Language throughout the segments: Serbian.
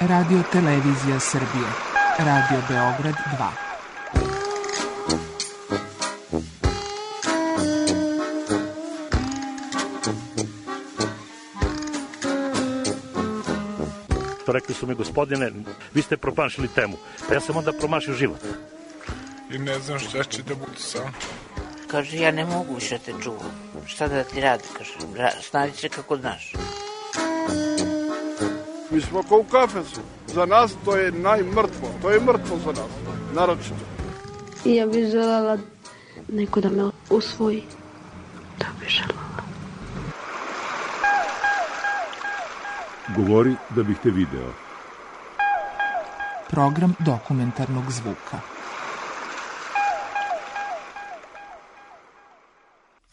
Radio Televizija Srbije. Radio Beograd 2. Rekli su mi, gospodine, vi ste promašili temu. Pa ja sam onda promašio život. I ne znam šta će da bude sam. Kaže, ja ne mogu više te čuvam. Šta da ti radi, kaže, snađi se kako znaš. Mi smo kao u kafesu. Za nas to je najmrtvo. To je mrtvo za nas. Naročito. I ja bih želela neko da me usvoji. To bih želela. Govori da bih te video. Program dokumentarnog zvuka.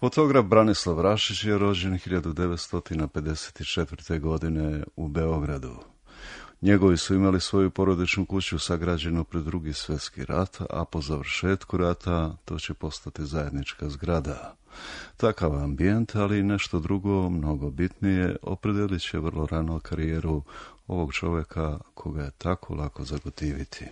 Fotograf Branislav Rašić je rođen 1954. godine u Beogradu. Njegovi su imali svoju porodičnu kuću sagrađenu pred Drugi svjetski rat, a po završetku rata to će postati zajednička zgrada. Takav ambijent, ali i nešto drugo, mnogo bitnije, opredelit će vrlo rano karijeru ovog čovjeka koga je tako lako zagotiviti.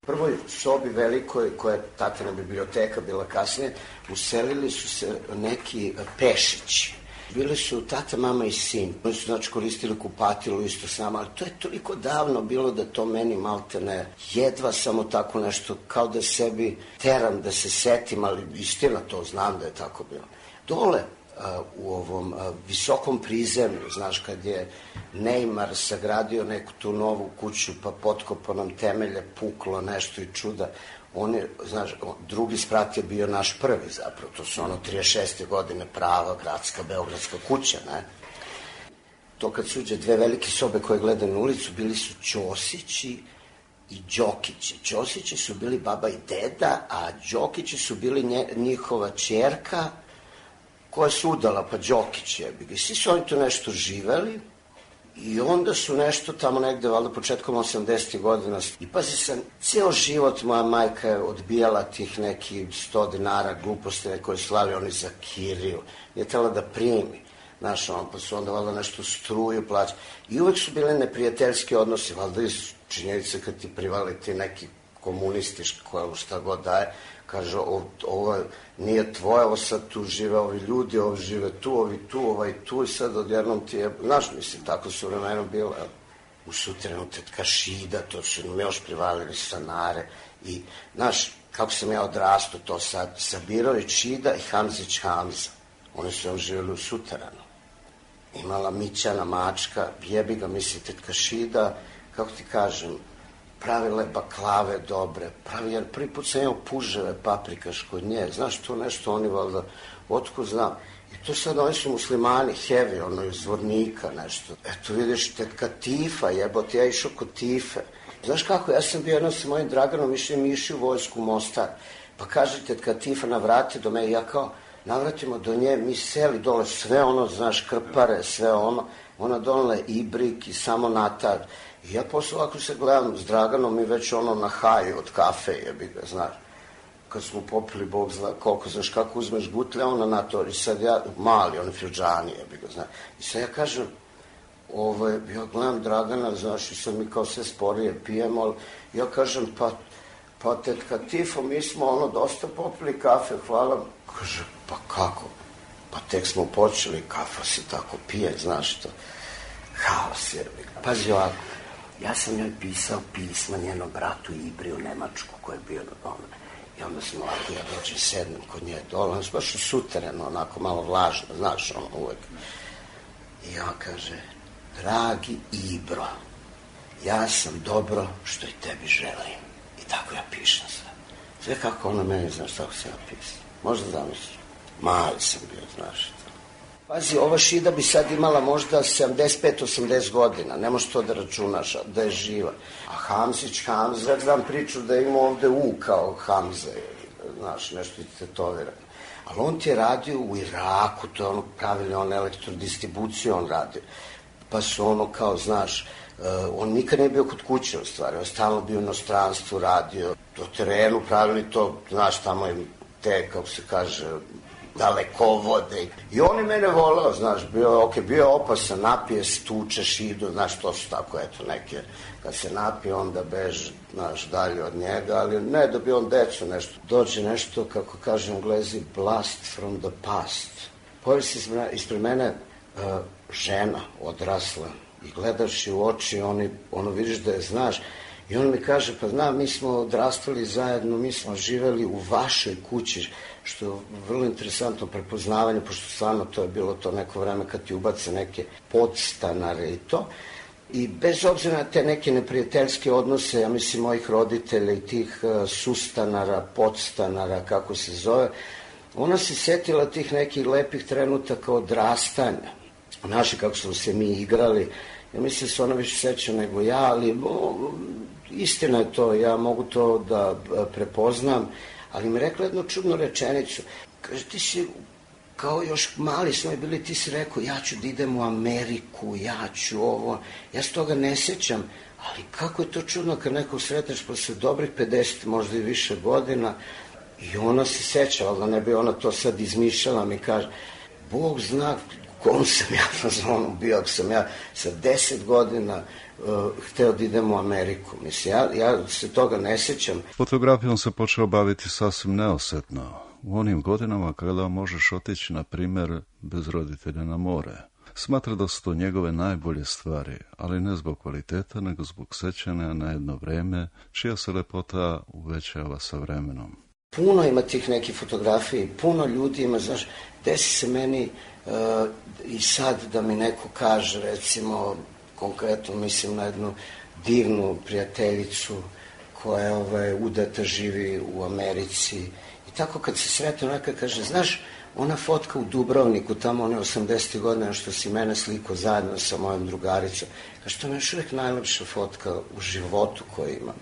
U prvoj sobi velikoj, koja je tatina biblioteka bila kasnije, uselili su se neki Pešići. Bili su tata, mama i sin. Oni su znači koristili kupatilu isto s nama, ali to je toliko davno bilo da to meni malte ne. Jedva samo tako nešto, kao da sebi teram da se setim, ali istina to znam da je tako bilo. Dole u ovom visokom prizemlju, znaš, kad je Neymar sagradio neku tu novu kuću, pa potkopao nam temelje, puklo nešto i čuda. On je, znaš, drugi sprat je bio naš prvi zapravo, to su ono 36. godine prava gradska beogradska kuća, ne? To kad suđe dve velike sobe koje gledaju na ulicu, bili su Ćosići i Đokići. Ćosići su bili baba i deda, a Đokići su bili njihova ćerka, koja se udala, pa Đokić je. I svi su oni tu nešto živeli i onda su nešto tamo negde, valjda početkom 80. godina. I pazi sam, ceo život moja majka je odbijala tih neki 100 dinara gluposti koje slavi oni za kiriju. Nije tela da primi. Znaš, pa su onda valjda nešto struju plaća. I uvek su bili neprijateljski odnosi, valjda iz činjenice kad ti privali ti neki komunistički koja šta god daje. Kaže, ovo nije tvoje, ovo sad tu žive ovi ljudi, ovi žive tu, ovi tu, ovaj tu i sad odjednom ti je, znaš, mislim, tako su vremena bilo, u sutrenu tetka Šida, to su nam još privalili stanare i, znaš, kako sam ja odrastao to sad, Sabirović Šida i Hamzić Hamza, oni su još živjeli u suterenu, imala Mićana Mačka, jebi ga, mislim, tetka Šida, kako ti kažem, pravile baklave dobre, jer prvi put sam imao puževe paprikaš kod nje, znaš, to nešto oni valjda, otko znam. I to sad oni su muslimani, heavy, ono iz Zvornika nešto. Eto vidiš, tetka Tifa, jebote, ja išao kod Tife. Znaš kako, ja sam bio jednom sa mojim Draganom, išli u vojsku u Mostar. Pa kaže tetka Tifa, navrati do me, i ja kao, navratimo do nje, mi seli dole, sve ono, znaš, krpare, sve ono, ona donela ibrik i samo natar. I ja posle ovako se gledam s Draganom i već ono na haju od kafe, jebi ga, znaš. Kad smo popili, Bog zna koliko, znaš kako uzmeš gutlja, ona na to, i sad ja, mali, oni filđani, jebi ga, znaš. I sad ja kažem, ja gledam Dragana, znaš, i sad mi kao sve sporije pijemo, ali ja kažem, pa tetka Tifo, mi smo ono dosta popili kafe, hvala. Kaže, pa kako? Pa tek smo počeli, kafa se tako pije, znaš to. Haos, jebi ga. Pazi ovako. Ja sam joj pisao pisma njenom bratu Ibri u Nemačku koji je bio na doma. I onda sam ovako, ja dođem, sednem kod nje dole, on se baš u suterenu, onako malo vlažno, znaš, ono uvek. I on kaže, dragi Ibro, ja sam dobro što i tebi želim. I tako ja pišem sve. Sve kako ona meni, znaš, tako se ja pisao. Možda zamisliš, mali sam bio, znaš. Pazi, ova Šida bi sad imala možda 75-80 godina, ne možeš to da računaš, da je živa. A Hamzić, Hamza, znam priču da ima ovde U kao Hamza, znaš, nešto je tetovirano. Ali on ti je radio u Iraku, to je ono pravili, on elektrodistribuciju on radio. Pa su ono kao, znaš, on nikad nije bio kod kuće u stvari, on stalno bio u inostranstvu, radio, do terenu pravili to, znaš, tamo je te, kako se kaže, dalekovode. I on je mene volao, znaš, bio je opasan, napije, stučeš, idu, znaš, to su tako, eto, neke, kad se napije, onda beže, znaš, dalje od njega, ali ne da bi on decu nešto. Dođe nešto, kako kaže Englezi, blast from the past. Pojavi se ispred mene žena odrasla i gledaš je u oči, ono vidiš da je znaš. I on mi kaže, pa znam, mi smo odrastali zajedno, mi smo živeli u vašoj kući, što je vrlo interesantno prepoznavanje, pošto stvarno to je bilo to neko vreme kad ti ubace neke podstanare i to. I bez obzira na te neke neprijateljske odnose, ja mislim, mojih roditelja i tih sustanara, podstanara, kako se zove, ona se setila tih nekih lepih trenutaka odrastanja. Naši, kako smo se mi igrali, ja mislim da se ona više seća nego ja, ali istina je to, ja mogu to da prepoznam, ali mi rekla jednu čudnu rečenicu. Kaže, ti si, kao još mali smo i bili, ti si rekao, ja ću da idem u Ameriku, ja ću ovo, ja se toga ne sećam, ali kako je to čudno kad nekog sretneš posle dobrih 50, možda i više godina, i ona se seća, ali da ne bi ona to sad izmišljala, mi kaže, Bog zna kom sam ja na zonu bio, ako sam ja sa 10 godina hteo da idem u Ameriku. Mislim, ja se toga ne sećam. Fotografijom se počeo baviti sasvim neosetno. U onim godinama kada možeš otići, na primjer, bez roditelja na more. Smatra da su to njegove najbolje stvari, ali ne zbog kvaliteta, nego zbog sećanja na jedno vreme, čija se lepota uvećava sa vremenom. Puno ima tih nekih fotografija, puno ljudi ima, znaš, desi se meni i sad da mi neko kaže, recimo, konkretno mislim na jednu divnu prijateljicu koja je udata, živi u Americi. I tako kad se sretne, neka kaže, znaš, ona fotka u Dubrovniku, tamo one 80. godine, što si mene sliko zajedno sa mojom drugaricom. Kaže, to je još uvijek najlepša fotka u životu koju imam.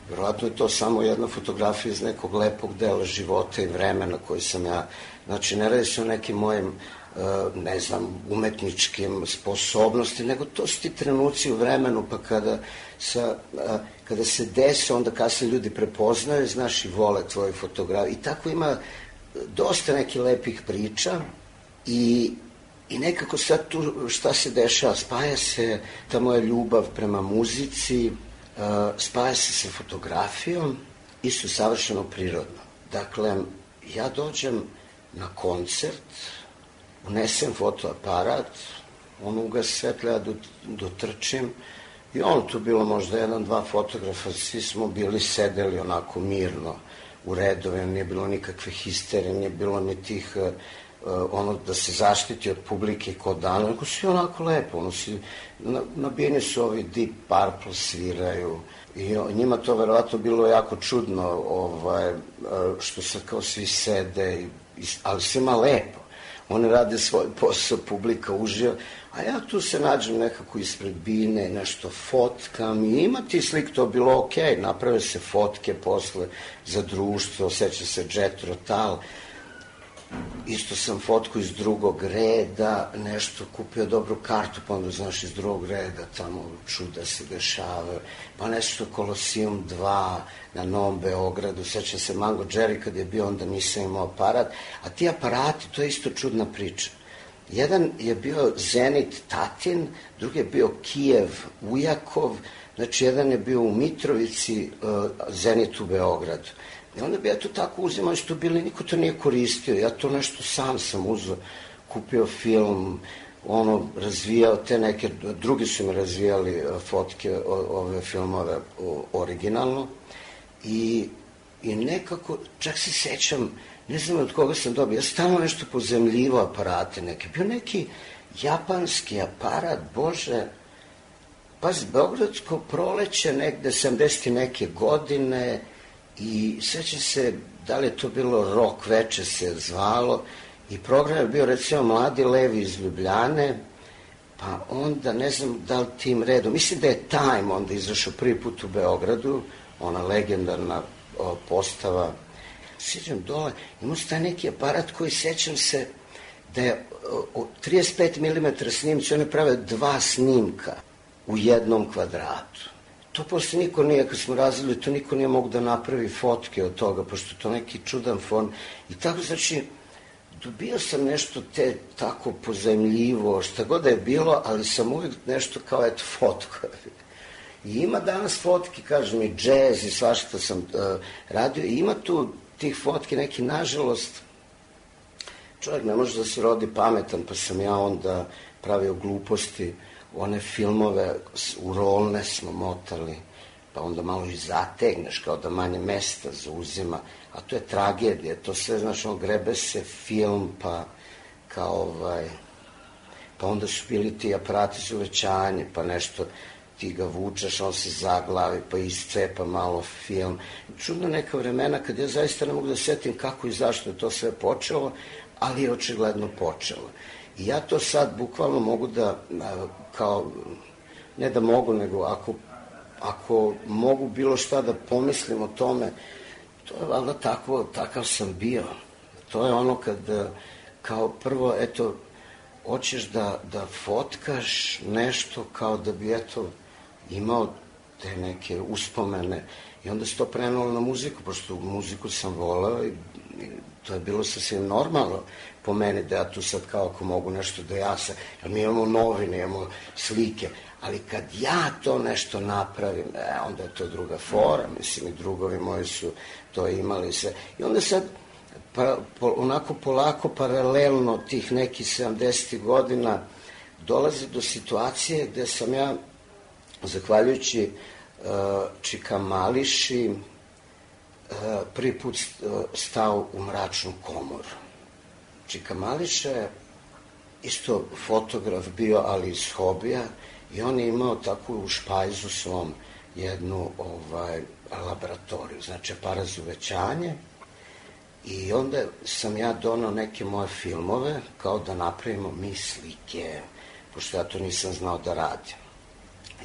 Vjerojatno je to samo jedna fotografija iz nekog lepog dela života i vremena koji sam ja, znači ne radi se o nekim mojim, ne znam, umetničkim sposobnosti, nego to su ti trenuci u vremenu, pa kada se desi, onda kasnije ljudi prepoznaju, znaš, i vole tvoje fotografije. I tako ima dosta nekih lepih priča i nekako sad tu šta se dešava, spaja se ta moja ljubav prema muzici, spaja se sa fotografijom, isto savršeno prirodno. Dakle, ja dođem na koncert, unesem fotoaparat, on ugasi svetlo, ja dotrčim i tu bilo možda 1-2 fotografa, svi smo bili sedeli onako mirno u redove, nije bilo nikakve histerije, nije bilo ni tih da se zaštiti od publike kod dana, nego svi onako lepo, nabijeni su ovi Deep Purple, sviraju i njima to verovatno bilo jako čudno, što se kao svi sede, ali svima lepo. Oni rade svoj posao, publika uživa, a ja tu se nađem nekako ispred bine, nešto fotkam i ima ti slik, to bilo okej, naprave se fotke posle za društvo, osjeća se Jethro Tull. Isto sam fotku iz drugog reda, nešto kupio dobru kartu, pa onda znaš iz drugog reda, tamo čuda se dešavaju, pa nešto Kolosijum 2 na Novom Beogradu, sećam se Mango Jerry kad je bio, onda nisam imao aparat, a ti aparati, to je isto čudna priča. Jedan je bio Zenit Tatin, drugi je bio Kijev Ujakov, znači jedan je bio u Mitrovici, Zenit u Beogradu. I onda bi ja to tako uzimao, što bili, niko to nije koristio, ja to nešto sam uzeo, kupio film, razvijao te neke, drugi su mi razvijali fotke, ove filmove originalno i nekako, čak se sećam, ne znam od koga sam dobio, ja stalno nešto pozemljivo aparate neke, bio neki japanski aparat, bože, pazi, Beogradsko proleće negde 70 neke godine. I sećam se, da li je to bilo Rok veče se zvalo, i program je bio recimo Mladi levi iz Ljubljane, pa onda ne znam da li tim redom, mislim da je Time onda izašao prvi put u Beogradu, ona legendarna postava. Sjećam dole, imao se taj neki aparat koji sećam se da je 35 mm snimci, one prave 2 snimka u jednom kvadratu. To posle niko nije, kad smo razvili, to niko nije mogu da napravi fotke od toga, pošto to neki čudan fon. I tako, znači, dobio sam nešto te tako pozajmljivo, šta god da je bilo, ali sam uvijek nešto kao eto fotko. I ima danas fotki, kažem, i džez i svašta sam radio, i ima tu tih fotki neki, nažalost, čovjek ne može da se rodi pametan, pa sam ja onda pravio gluposti, one filmove u rolne smo motali, pa onda malo i zategneš, kao da manje mesta zauzima, a to je tragedija, to sve, znaš, grebe se film, pa kao pa onda su bili ti aparati za uvećanje, pa nešto ti ga vučeš, on se zaglavi, pa iscepa malo film. Čudno neka vremena kad ja zaista ne mogu da setim kako i zašto je to sve počelo, ali je očigledno počelo. I ja to sad bukvalno mogu da, kao, ne da mogu, nego ako mogu bilo šta da pomislim o tome, to je valjda takav sam bio. To je ono kad, kao prvo, eto, hoćeš da fotkaš nešto kao da bi, eto, imao te neke uspomene i onda se to prenalo na muziku, pošto muziku sam voleo i to je bilo sasvim normalno po meni da ja tu sad kao ako mogu nešto da jasam, jer mi imamo novine, imamo slike, ali kad ja to nešto napravim, onda je to druga fora, mislim i drugovi moji su to imali sve. I onda sad onako polako, paralelno tih nekih 70. godina dolazi do situacije gde sam ja, zahvaljujući Čika Mališi, prvi put stao u mračnu komoru. Čika Mališa je isto fotograf bio, ali iz hobija, i on je imao tako u špajzu svom jednu laboratoriju, znači aparat za uvećanje, i onda sam ja donao neke moje filmove, kao da napravimo mi slike, pošto ja to nisam znao da radim.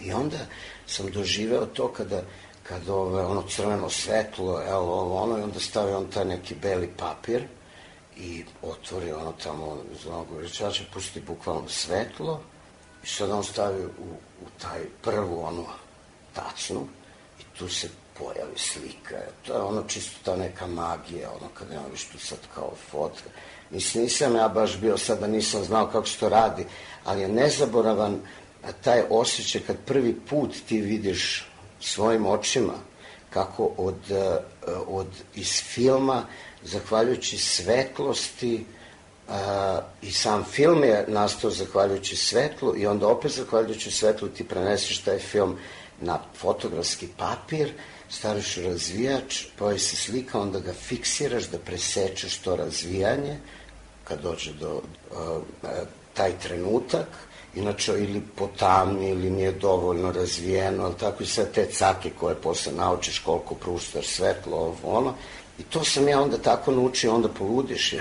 I onda sam doživeo to kada ono crveno svetlo, i onda stavio on taj neki beli papir i otvori ono tamo za onog uveličača, pusti bukvalno svetlo i sad on stavi u taj prvu onu tacnu i tu se pojavi slika. To je ono čisto ta neka magija, ono kada imam viš tu sad kao fotka. Mislim, nisam ja baš bio sad da nisam znao kako se to radi, ali je nezaboravan taj osjećaj kad prvi put ti vidiš svojim očima kako iz filma, zahvaljujući svetlosti, i sam film je nastao zahvaljujući svetlu i onda opet zahvaljujući svetlu ti preneseš taj film na fotografski papir, staviš u razvijač, pojavi se slika, onda ga fiksiraš da presečeš to razvijanje kad dođe do taj trenutak, inače ili potamni ili nije dovoljno razvijeno, ali tako i sve te cake koje posle naučiš koliko pruštaš svetlo, ono. I to sam ja onda tako naučio, onda poludiš.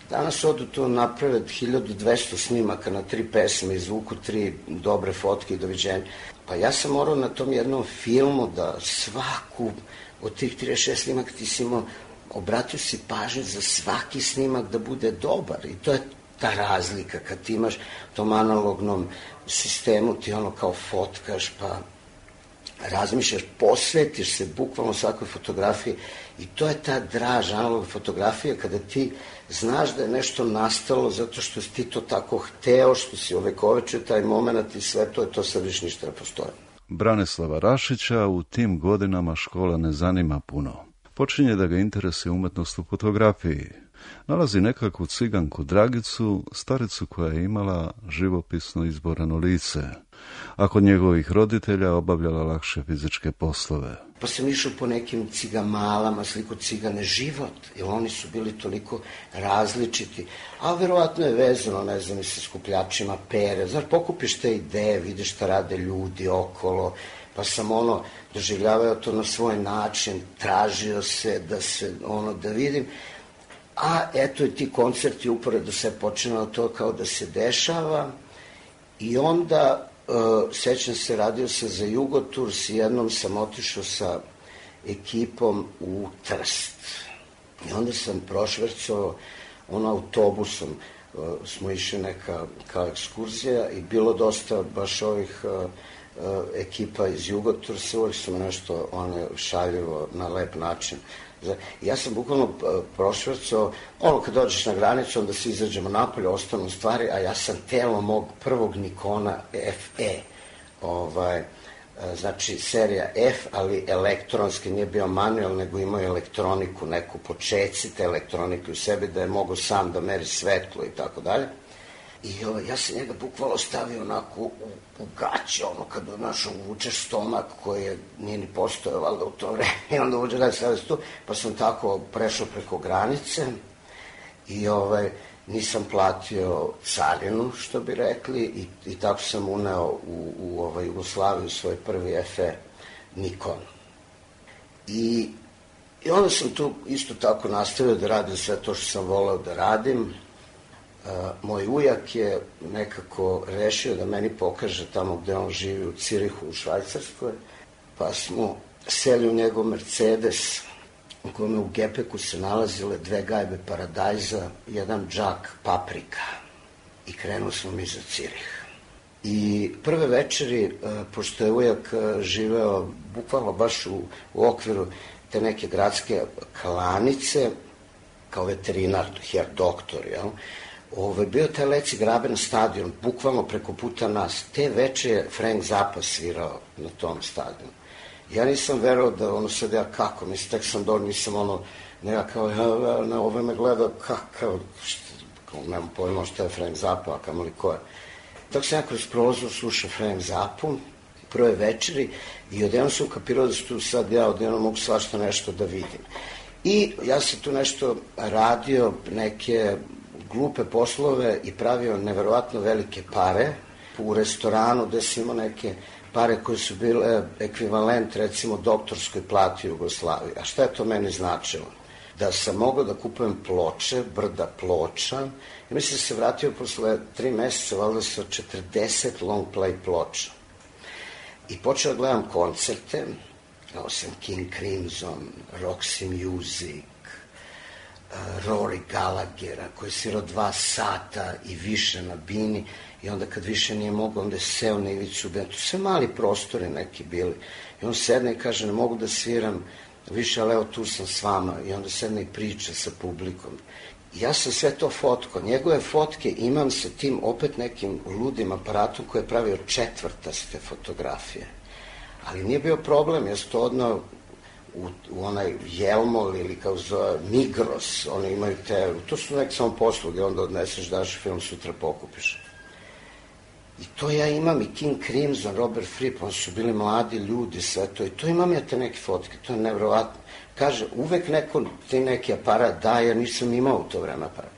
Danas odu to naprave 1200 snimaka na 3 pesme, izvuku 3 dobre fotke i doviđenja. Pa ja sam morao na tom jednom filmu da svaku od tih 36 snimaka ti si imao, obratio si pažnju za svaki snimak da bude dobar. I to je ta razlika kad ti imaš u tom analognom sistemu, ti ono kao fotkaš, pa razmišljaš, posvetiš se bukvalno svakoj fotografiji i to je ta draž analogna fotografija kada ti znaš da je nešto nastalo zato što si ti to tako hteo, što si ovekovečio taj moment i sve to sad više ništa ne postoje. Branislava Rašića u tim godinama škola ne zanima puno. Počinje da ga interesuje umetnost u fotografiji. Nalazi nekakvu ciganku Dragicu, staricu koja je imala živopisno izborano lice, a kod njegovih roditelja obavljala lakše fizičke poslove. Pa sam išao po nekim cigamalama, sliku cigane život, jer oni su bili toliko različiti, a verovatno je vezano, ne znam, i sa skupljačima pere. Znaš, pokupiš te ideje, vidiš šta rade ljudi okolo, pa sam doživljavao to na svoj način, tražio se da vidim. A eto i ti koncerti uporedo sve počinalo to kao da se dešava i onda sećam se, radio sam za Jugotours i jednom sam otišao sa ekipom u Trst i onda sam prošvercao autobusom, smo išli neka kao ekskurzija i bilo dosta baš ovih ekipa iz Jugotursa, uvijek su me nešto šaljivo na lep način. Ja sam bukvalno prošvrcao, kad dođeš na granicu, onda se izađemo napolje, ostanu stvari, a ja sam telo mog prvog Nikona FE, znači serija F, ali elektronski, nije bio manual, nego imao elektroniku, neku počeci te elektronike u sebi, da je mogao sam da meri svetlo i tako dalje. I ja sam njega bukvalno stavio onako u gaće, kada uvučeš stomak koji nije ni postojao valjda u to vreme, i onda uđe da stavio se tu, pa sam tako prešao preko granice i nisam platio carinu, što bi rekli, i tako sam uneo u Jugoslaviju svoj prvi FE Nikon. I onda sam tu isto tako nastavio da radim sve to što sam voleo da radim. Moj ujak je nekako rešio da meni pokaže tamo gde on živi, u Cirihu, u Švajcarskoj, pa smo seli u njegov Mercedes, u kome u gepeku se nalazile 2 gajbe paradajza, 1 džak paprika, i krenuli smo mi za Cirih. I prve večeri, pošto je ujak živeo bukvalno baš u okviru te neke gradske klanice, kao veterinar, her doktor, jel? Bio taj Leci Graben stadion, bukvalno preko puta nas. Te veče je Frank Zappa svirao na tom stadionu. Ja nisam verovao da sad ja kako, mislim, tek sam dođe, nisam neka kao, ovo me gleda, kako, nemam pojma šta je Frank Zappa, a kamoli ko je. Tako sam ja kroz prozor slušao Frank Zappu, prve večeri, i odjednom sam kapirao da su tu sad ja odjednom mogu svašta nešto da vidim. I ja sam tu nešto radio, neke glupe poslove i pravio neverovatno velike pare u restoranu gde sam imao neke pare koje su bile ekvivalent recimo doktorskoj plati u Jugoslaviji. A šta je to meni značilo? Da sam mogao da kupujem ploče, brda ploča, i mislim da se vratio posle 3 meseca valjda sa 40 long play ploča. I počeo da gledam koncerte, kao sam King Crimson, Roxy Music, Rory Gallaghera, koji je svirao 2 sata i više na bini, i onda kad više nije mogao, onda je seo na ivicu benda. To sve mali prostori neki bili. I on sedne i kaže, ne mogu da sviram više, ali evo tu sam s vama. I onda sedne i priča sa publikom. I ja sam sve to fotkao. Njegove fotke imam sa tim opet nekim ludim aparatom koji je pravio četvrtaste fotografije. Ali nije bio problem, ja sam to odnao u onaj Jelmol ili kao zove Migros, oni imaju te, to su neke samo posluge, onda odneseš, daš film, sutra pokupiš. I to ja imam, i King Crimson, Robert Fripp, oni su bili mladi ljudi, sve to, i to imam ja te neke fotke, to je nevjerovatno. Kaže, uvek neko ti neki aparat da, jer nisam imao u to vreme aparat.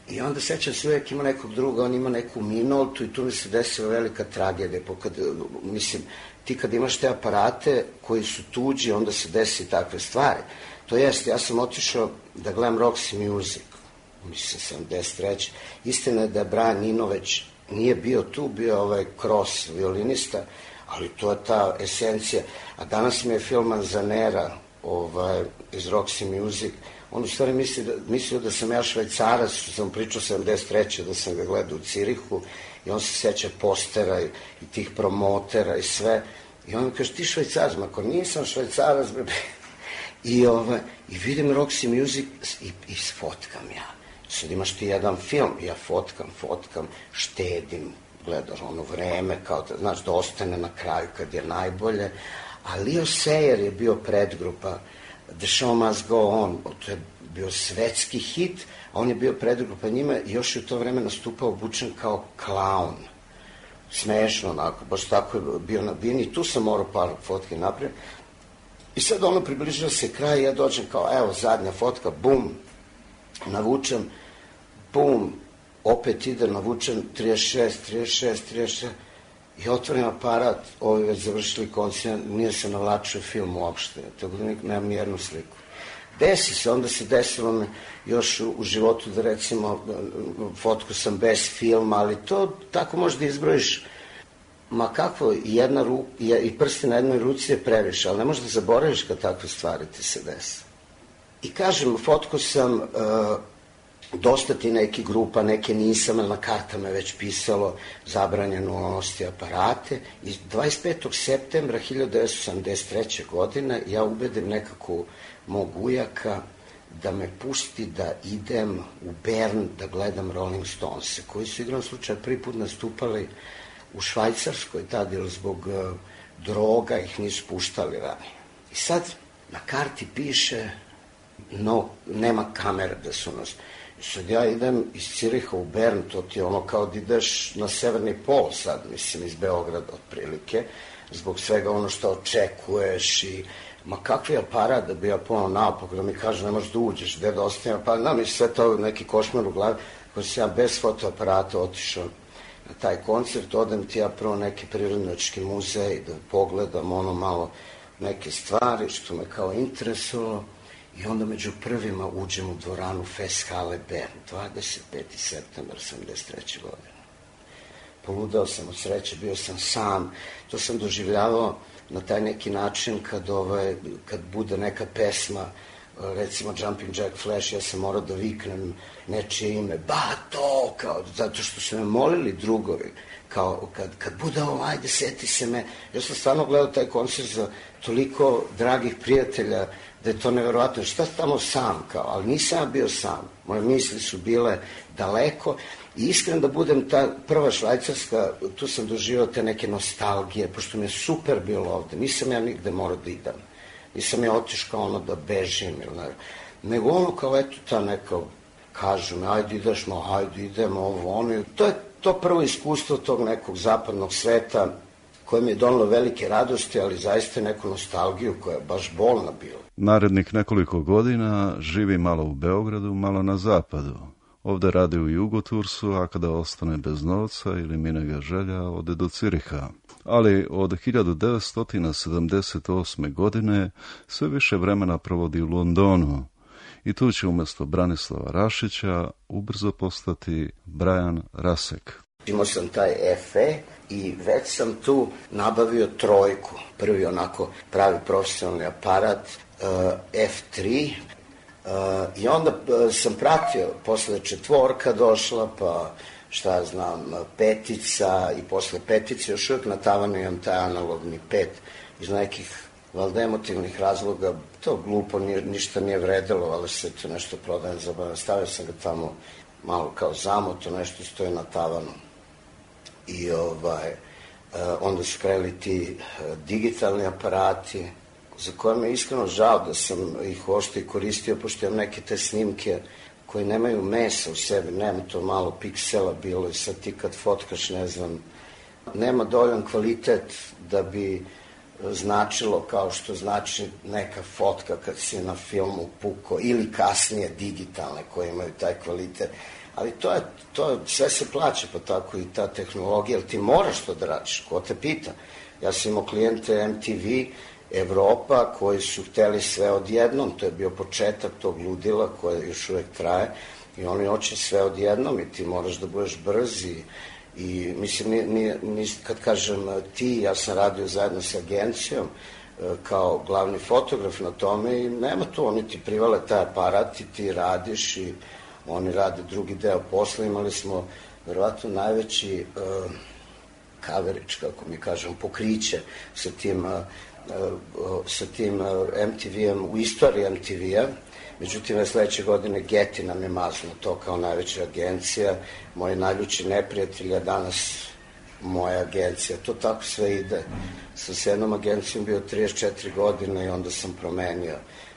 I onda sećam se, uvek ima nekog druga, on ima neku Minoltu, i tu mi se desila velika tragedija, mislim, ti kad imaš te aparate koji su tuđi, onda se desi takve stvari. To jest, ja sam otišao da gledam Roxy Music, mislim, 73. Istina je da je Brian Eno već nije bio tu, bio Cross, violinista, ali to je ta esencija. A danas mi je Phil Manzanera iz Roxy Music, on u stvari mislio da sam ja Švajcarac, što sam pričao 73. da sam ga gledao u Cirihu, i on se seća postera i tih promotera i sve. I on mi kaže, ti Švajcarac? Ako nisam Švajcarac, i vidim Roxy Music i fotkam ja. Sad imaš ti jedan film, ja fotkam, štedim, gledaš ono vreme, kao da, znaš, da ostane na kraju kad je najbolje. A Leo Sayer je bio predgrupa The Show Must Go On, to je bio svetski hit, a on je bio predgrupa njima i još je u to vreme nastupao obučen kao klaun. Smešno, onako, baš tako je bio na bini, tu sam morao par fotke napraviti. I sad ono približio se kraj, ja dođem kao, evo, zadnja fotka, bum, navučem, bum, opet ide, navučem 36, i otvorim aparat, ovi već završili koncert, nije se navlačio film uopšte, tako da nemam nijednu sliku. Desi se, onda se desilo me još u životu da recimo fotku sam bez filma, ali to tako možda izbrojiš, ma kako, i prsti na jednoj ruci je previše, ali ne možeš da zaboraviš kad takve stvari ti se desi. I kažem, fotku sam dosta ti neki grupa, neke nisam, ali na kartama je već pisalo zabranjeno unositi aparate. I 25. septembra 1973. godine ja ubedim nekako mog ujaka da me pusti da idem u Bern da gledam Rolling Stones, koji su igrom slučaja prvi put nastupali u Švajcarskoj, tad jer zbog droga ih nisu puštali ranije. I sad na karti piše no, nema kamera da su nas. I sad ja idem iz Ciriha u Bern, to ti je ono kao da ideš na severni pol sad, mislim, iz Beograda otprilike, zbog svega ono što očekuješ i ma kakvi aparat da bi ja ponao naopako, da mi kaže ne možeš da uđeš, gde da ostavim, pa da mi sve to neki košmar u glavi, koji sam ja bez fotoaparata otišao na taj koncert, odem ti ja prvo neki prirodnjački muzej da pogledam ono malo neke stvari što me kao interesovalo i onda među prvima uđem u dvoranu Festhalle Bern, 25. septembar 1973. godine. Poludao sam od sreće, bio sam sam, to sam doživljavao na taj neki način kad bude neka pesma, recimo Jumping Jack Flash, ja sam morao da viknem nečije ime, Bato, kao, zato što su me molili drugovi, kao kad bude ovo, ajde, seti se me. Ja sam stvarno gledao taj koncert za toliko dragih prijatelja, da je to neverovatno. Šta tamo sam, kao, ali nisam ja bio sam. Moje misli su bile daleko i iskreno da budem ta prva Švajcarska, tu sam doživao te neke nostalgije, pošto mi je super bilo ovde. Nisam ja nigde morao da idem. Nisam ja otišao ono da bežim, nego ono kao eto ta neka, kažu me, ajde ideš, ajde idemo, ovo, ono. To je to prvo iskustvo tog nekog zapadnog sveta koje mi je donalo velike radosti, ali zaista neku nostalgiju koja je baš bolna bila. Narednih nekoliko godina živi malo u Beogradu, malo na zapadu. Ovde radi u Jugotursu, a kada ostane bez novca ili mine ga želja, ode do Ciriha. Ali od 1978. godine sve više vremena provodi u Londonu i tu će umjesto Branislava Rašića ubrzo postati Brian Rasek. Imao sam taj FE i već sam tu nabavio trojku, prvi onako pravi profesionalni aparat, F3, i onda sam pratio, posle četvorka došla, pa šta ja znam, petica i posle petice još uvijek na tavanu imam taj analogni 5 iz nekih valjda emotivnih razloga, to glupo, ništa nije vredelo, ali se to nešto prodajem za stavio sam ga tamo malo kao zamoto, nešto stoji na tavanu. I onda su krenuli ti digitalni aparati, za koje me iskreno žao da sam ih uopšte koristio, pošto imam neke te snimke koje nemaju mesa u sebi, nema to malo piksela bilo i sad ti kad fotkaš, ne znam, nema dovoljan kvalitet da bi značilo kao što znači neka fotka kad si na filmu puko ili kasnije digitalne koje imaju taj kvalitet. Ali to sve se plaća, pa tako i ta tehnologija, ali ti moraš to da radiš, ko te pita. Ja sam imao klijente MTV Evropa koji su hteli sve odjednom, to je bio početak tog ludila koje još uvek traje i oni hoće sve odjednom i ti moraš da budeš brz i mislim, kad kažem ti, ja sam radio zajedno sa agencijom kao glavni fotograf na tome i nema tu, oni ti privale taj aparat i ti radiš i oni rade drugi deo posla. Imali smo verovatno najveći coverage, kako mi kažem, pokriće sa tim MTV-em u istoriji MTV-a. Međutim, sledeće godine Getty nam je mazno to kao najveća agencija. Moji najljući neprijatelji, a danas moja agencija. To tako sve ide. Sam s jednom agencijom bio 34 godine i onda sam promenio.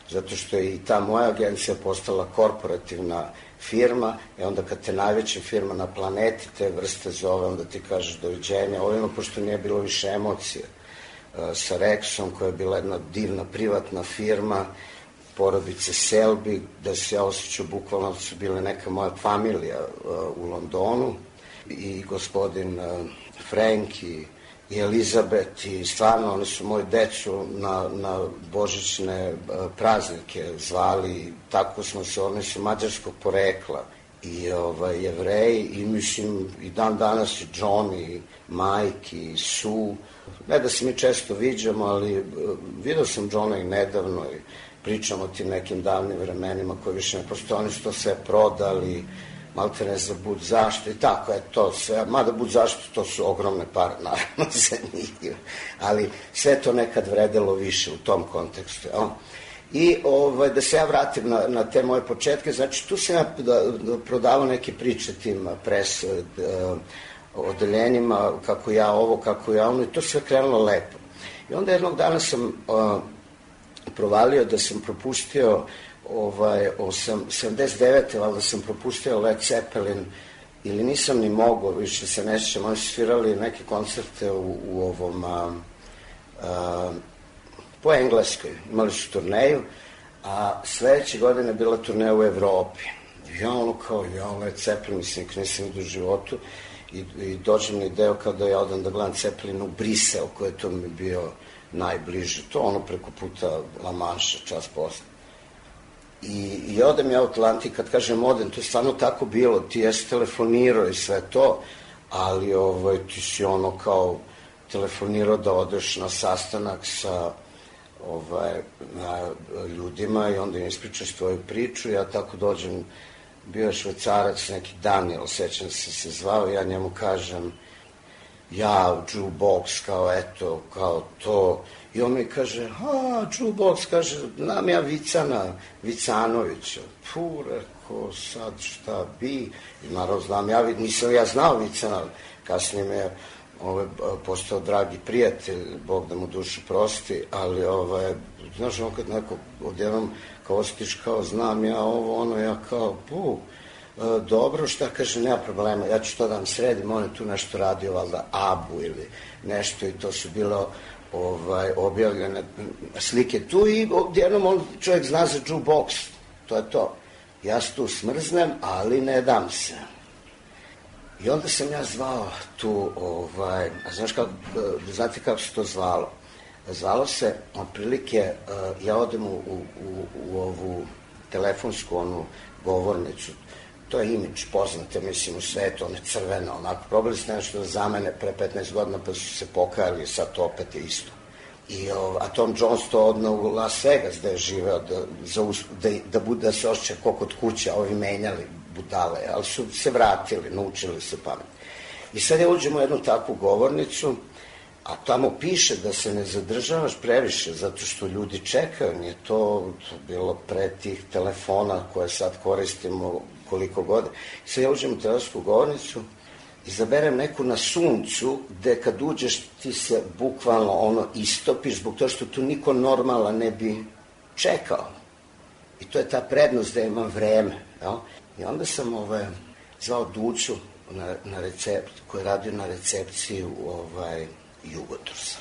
Zato što je i ta moja agencija postala korporativna firma i onda kad te najveća firma na planeti te vrste zove, onda ti kažeš doviđenja. Ovima, pošto nije bilo više emocije, sa Rexom, koja je bila jedna divna privatna firma, porodice Selby, da se ja osjećao bukvalno su bile neka moja familija u Londonu i gospodin Frank i Elizabeth i stvarno oni su moju decu na božićne praznike zvali, tako smo se, oni su mađarskog porekla i Jevreji i mislim i dan danas i John i Mike i Sue, ne da se mi često viđamo, ali vidio sam Johna i nedavno pričam o tim nekim davnim vremenima koji više ne postoje, oni su to sve prodali, malte ne za bud zašto i tako je to sve, mada bud zašto to su ogromne pare, naravno za njih, ali sve to nekad vredelo više u tom kontekstu. I da se ja vratim na te moje početke, znači tu sam ja prodavao neke priče tim pres odeljenjima, kako ja ovo, kako ja ono, i to sve krenulo lepo. I onda jednog dana sam provalio da sam propustio 79. valjda sam propustio Led Zeppelin, ili nisam ni mogao, više se ne sjećam, oni su svirali neke koncerte u ovom po Engleskoj, imali su turneju, a sledeće godine je bila turneja u Evropi. Ja ono kao, Led Zeppelin, mislim, nisam vidio u životu, i dođem na ideju kao da ja odam da gledam Zeppelin u Brisel, koji je to mi bio najbliže, to ono preko puta La Manša, čas posle. I odem ja u Atlantik, kad kažem odem, to je stvarno tako bilo, ti jesi telefonirao i sve to, ali ti si ono kao telefonirao da odeš na sastanak sa ljudima i onda im ispričaš tvoju priču. Ja tako dođem, bio je Švajcarac, neki Daniel, sećam se zvao, ja njemu kažem, jukebox, kao eto, kao to, i on mi kaže, jukebox, kaže, znam ja Vicanovića, reko, sad šta bi, i naravno znam ja, nisam ja znao Vicana, kasnije me postao dragi prijatelj, Bog da mu dušu prosti, ali znaš, on kad neko odjednom kao osjetiš kao znam ja ovo, ono, ja kao, dobro, šta, kaže, nema problema, ja ću to da vam sredim, on je tu nešto radio, valjda, Abu ili nešto, i to su bilo objavljene slike tu, i odjednom čovjek zna za jukebox, to je to. Ja se tu smrznem, ali ne dam se. I onda sam ja zvao tu, znate kako se to zvalo? Zvalo se, otprilike, ja odem u ovu telefonsku, onu govornicu, to je imidž, poznate, mislim, u svetu, ona je crvena, onako, probali ste nešto da zamene pre 15 godina, pa su se pokajali, sad to opet je isto. A Tom Jones to odno u Las Vegas, da je živeo, da se osjeća ko kod kuće, a ovi menjali budale, ali su se vratili, naučili se pamet. I sad ja uđem u jednu takvu govornicu, a tamo piše da se ne zadržavaš previše, zato što ljudi čekaju, nije to bilo pre tih telefona koje sad koristimo koliko god. I sad ja uđem u telefonsku govornicu, izaberem neku na suncu, gde kad uđeš ti se bukvalno istopiš, zbog toga što tu niko normalan ne bi čekao. I to je ta prednost da imam vreme. I onda sam zvao Duću na recept, koji je radio na recepciji Jugotursa.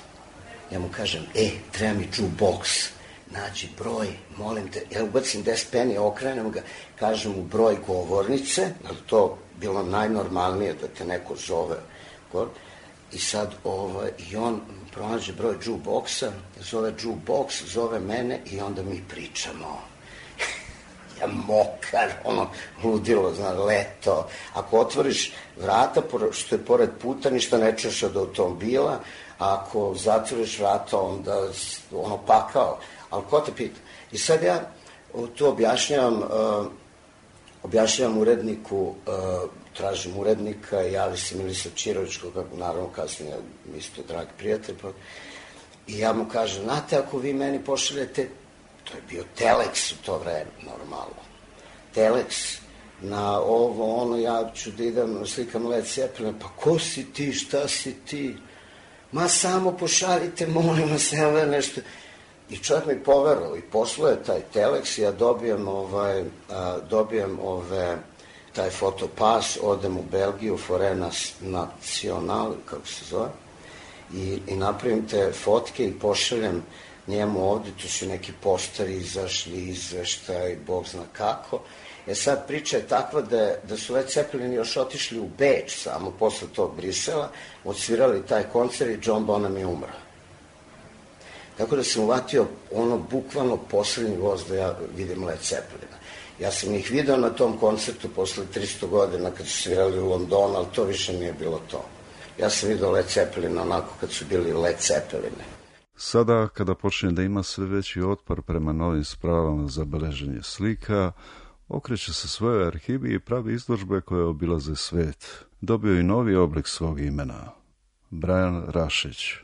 Ja mu kažem, treba mi jukebox, nađi broj, molim te, ja ubacim 10 penija, okrenem ga, kažem mu broj govornice, ali to bilo najnormalnije da te neko zove. I sad, i on pronađe broj jukeboxa, zove jukebox, zove mene i onda mi pričamo. Ja mokar, ludilo, leto. Ako otvoriš vrata, što je pored puta, ništa ne čuješ od automobila, a ako zatvoriš vrata, onda pakao. Ali ko te pita? I sad ja tu objašnjavam uredniku, tražim urednika, javi se Milisav Čirović, koga naravno kasnije isto dragi prijatelj, i ja mu kažem, znate, ako vi meni pošaljete, to je bio Telex u to vreme, normalno, Telex, na ovo, ja ću da idem, slikam Led Zeppelin, pa ko si ti, šta si ti? Ma samo pošaljite, molim vas, nema nešto. I čovjek mi poverovao i posluje taj Telex, ja dobijem taj fotopas, odem u Belgiju, Forêt Nationale, kako se zove, i napravim te fotke i pošaljem njemu ovde, tu su neki postari izašli, izveštaj, Bog zna kako. Sad priča je takva da su Led Zeppelin još otišli u Beč samo posle tog Brisela, odsvirali taj koncert i John Bonham je umro. Tako da sam uvatio bukvalno poslednji voz da ja vidim Led Zeppelina. Ja sam ih video na tom koncertu posle 300 godina kad su svirali u Londonu, ali to više nije bilo to. Ja sam vidio Led Zeppelina onako kad su bili Led Zeppeline. Sada, kada počne da ima sve veći otpor prema novim spravama za beleženje slika, okreće se svojoj arhivi i pravi izložbe koje obilaze svet. Dobio i novi oblik svog imena. Brajan Rašić.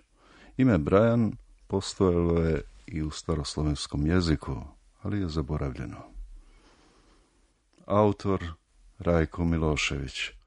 Ime Brajan postojalo je i u staroslovenskom jeziku, ali je zaboravljeno. Autor Rajko Milošević.